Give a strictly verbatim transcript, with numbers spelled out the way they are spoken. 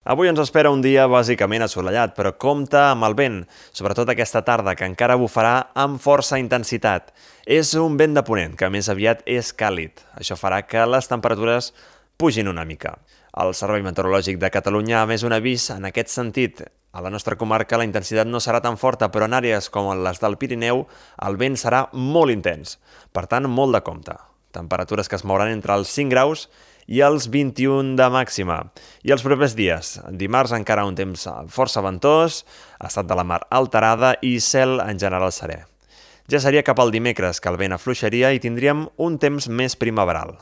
Avui ens espera un dia bàsicament assolellat, però compta amb el vent, sobretot aquesta tarda, que encara bufarà amb força intensitat. És un vent de ponent, que més aviat és càlid. Això farà que les temperatures pugin una mica. El Servei Meteorològic de Catalunya ha emès un avís en aquest sentit. A la nostra comarca la intensitat no serà tan forta, però en àrees com les del Pirineu el vent serà molt intens. Per tant, molt de compte. Temperatures que es mouran entre els cinc graus i els vint-i-un de màxima. I els propers dies, dimarts encara un temps força ventós, estat de la mar alterada i cel en general serè. Ja seria cap al dimecres que el vent afluixaria i tindríem un temps més primaveral.